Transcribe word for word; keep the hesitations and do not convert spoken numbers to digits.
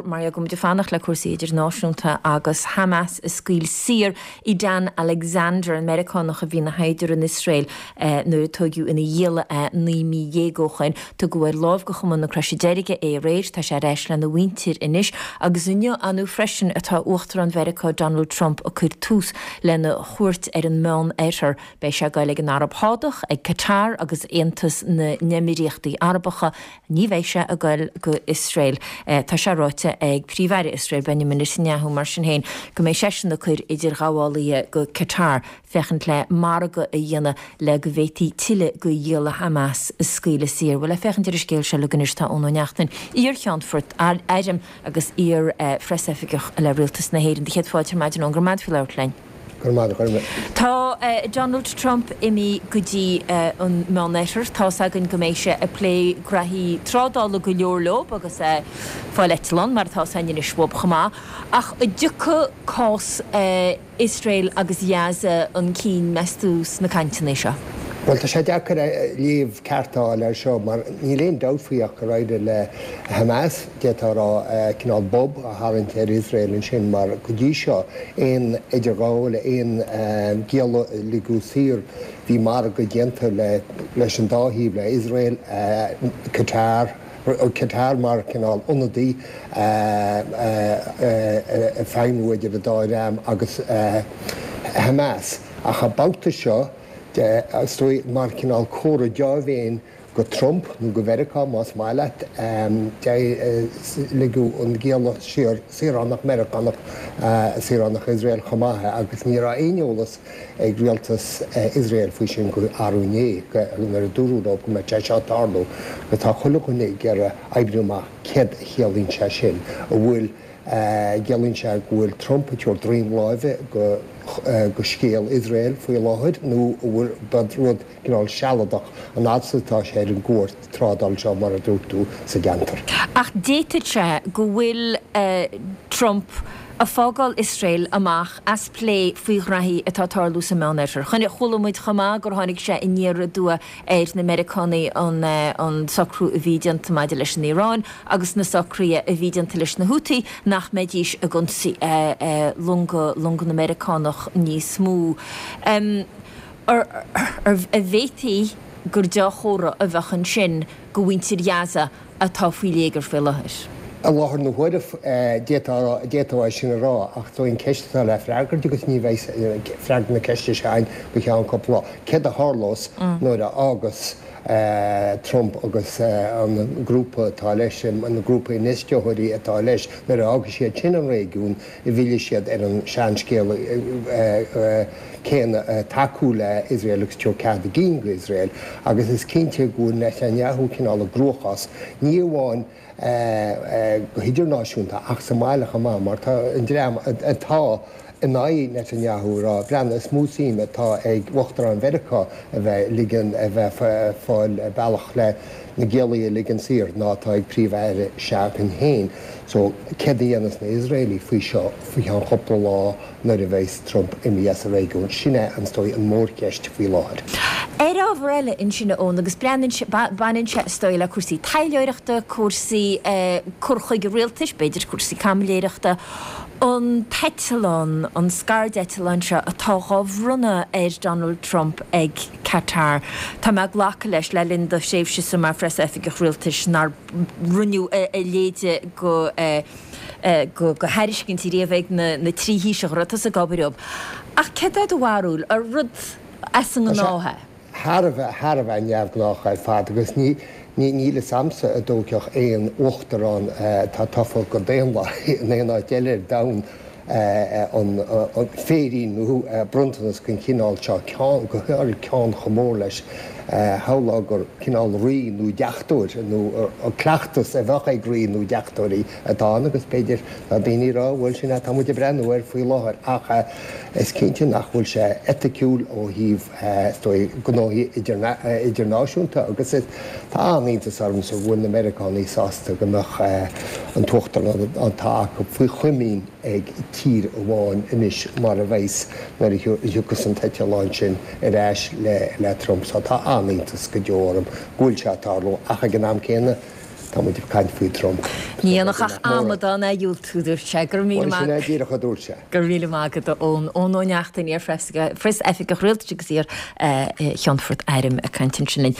mar go muid ag fanacht le cúrsaí idirnáisiúnta agus Hamas ag scaoileadh saor Edan Alexander an Meiriceánach a bhí ina shaighdiúir in Iosrael eh, nuair a tógadh ina ghialla é naoi mí dhéag ó shin tugadh ar láimh go Chumann na Croise Deirge é aréir tá sé ar ais lena mhuintir anois agus inniu anu freisin atá Uachtarán Mheiriceá Donald Trump ag cur tús lena chuairt ar an Meánoirthear beidh sé ag goil ag an Araib Shádach ag Qatar agus Aontas na nÉimíríochtaí Arabacha ní bheidh sé ag goil go Iosrael. Eh, tá sé ráite ag Príomh-Aire Iosrael Benjamin Netanyahu mar sin féin go mbeidh seisean ag cur idirghabhálaithe go Qatar féachaint le margadh a dhéanamh le go bhféadfaí tuilleadh de ghialla Hamas a scaoileadh saor. Bhuel le féachaint ar an scéal seo le gnis tá Eoin Ó Neachtain iar-cheannfort airm agus iar eh, phreasoifigeach le rialtas na hÉireann de chéad fáilte ar maidin go raibh maith linn. Tá uh, Donald Trump imithe go dtí uh, an Meánoirthear tá againn go mbeidh sé ag plé graithí trádála go leor leo agus uh, fáil eitleán mar tá san is chomh maith ach an dtiocfaidh cás uh, Iosrael agus Gaza chun cinn meas tú sna cainteanna seo. Well tá sé deacair léamh ceart a fháil air seo mar níl aon dabht faoi ach go raibh le Hamas d'fhéadfá a rá cineál bob a tharraingt ar Iosrael ansin mar go dtí seo aon idirghabháil aon gialla a ligeadh saor bhí margadh déanta le leis an dá thaobh le Iosrael Qatar Qatar mar cineál ionadaí feidhmiú idir an dá dhream agus Hamas ach an babhta seo is mar cineál comhartha dea-mhéine go Trump nó go Mheiriceá más maith leat ligeadh an gialla saor saoránach Meiriceánach saoránach Iosrael chomh maith agus ní raibh aon eolas ag rialtas Iosrael faoi sin go arú inné nuair a dúradh go mbeadh sé seo ag tarlú go tá chuile dhuine ag iarraidh oibriú amach céard a chiallaíonn sé sin a bhfuil ciallaíonn sé go bhfuil Trump ag tabhairt droim láimhe go go scéal Iosrael faoi láthair nó bhfuil rud cineál sealadach an atá sé ar an gcuairt trádála seo mar a dúirt tú sa gceantar. Ach d'fhéadfadh sé go bhfuil uh, Trump ag fágáil Iosrael amach as plé faoi ghraithí atá ag tarlú sa Meánoirthear. Chun chuala muid chomh maith gur tháinig sé aniar aduaidh ar na Meiriceánaigh an, an socrú a bhí déanta maidir leis an Iaráin agus na socruithe a bhí déanta leis na Houthi nach mbeidís ag ionsaí uh, uh, longa longa na Meiriceánach níos mó. Um, ar, ar, ar bhféadfaí gur dea-chomhartha a bheadh ansin go mhuintir Ghaza atá faoi léigear faoi láthair. I láthair na huaire d'fhéadfá sin a rá ach tá an cheist le freagairt agus ní bheidh freagra na ceiste sin go ceann cúpla lá. Céard a tharlós nuair a fhágas Trump agus an grúpa atá leis an grúpa infheisteoirí atá leis nuair a fhágann siad sin an réigiún i bhfilleann siad ar an seanscéal céanna tacú le Iosrael agus cead a gcinn go Iosrael agus is cinnte go bhfuil Netanyahu cineál i gcruachás ní amháin go hidirnáisiúnta ach sa mbaile chomh maith mar tá an dream atá in aghaidh Netanyahu rá breathnaigh is mó suim atá ag Uachtarán Mheiriceá a bheith ligean a bheith fáil bealach le na giallaí a ligean saor ná atá ag príomh-aire s'againn féin. So céard a dhéanfas na hIosraelaigh faoi seo faoi cheann cúpla lá nuair a bheas Trump imithe as an réigiún sin é an dóigh an mhórcheist faoi láthair. Ar ábhar eile ansin Eoin agus baineann sé is dóigh le cúrsaí taidhleoireachta, cúrsaí cur chuige rialtais, b'fhéidir cúrsaí caimiléireachta, an t-eitleán an scairdeitleán seo atá á bhronnadh ar Donald Trump ag Qatar. Tá mé ag glacadh leis le linn do thréimhse sa mar phreasoifigeach rialtais nár rinneadh a leithéid go go go thairiscintí riamh ag na na trí thaoiseach a raibh tusa ag obair leo. Ach céard é do bharúil ar rud as an ngnáth é? Thar a bheith thar a bheith neamhghnách ar fad agus ní ní níl a fhios agamsa an dtógfadh aon uachtarán atá tofa go daonlathach in aon áit eile ar domhan an féirín nó bronntanas den chineál seo ceann go háirithe ceann chomh mór leis shamhlófá gur cineál rí nó deachtóir nó cleachtas a bheadh ag rí nó deachtóirí atá ann agus b'fhéidir tá daoine ag rá bhfuil sin atá muid ag breathnú air faoi láthair ach is cinnte nach bhfuil sé eiticiúil ó thaobh gnóthaí idirnáisiúnta agus tá an-iontas ormsa go bhfuil na Meiriceánaigh sásta go mbeadh an t-uachtarán atá acu faoi chomaoin ag tír amháin anois mar a bheas nuair a thiocfas an t-eitleán sin ar ais le le Trump so tá an-iontas go deo orm go bhfuil sé ag tarlú ach ag an am céanna tá Tá muid ag caint faoi Trump. Ní dhéanfadh ach amadán é a dhiúltú, dúirt sé. Go raibh míle maith. Sin é díreach a dúirt sé. Go raibh míle maith agat, a Eoin. Eoin Ó Neachtain, iar-Phríos-Oifigeach Rialtais agus iar-Cheannfort Airm ag caint ansin linn.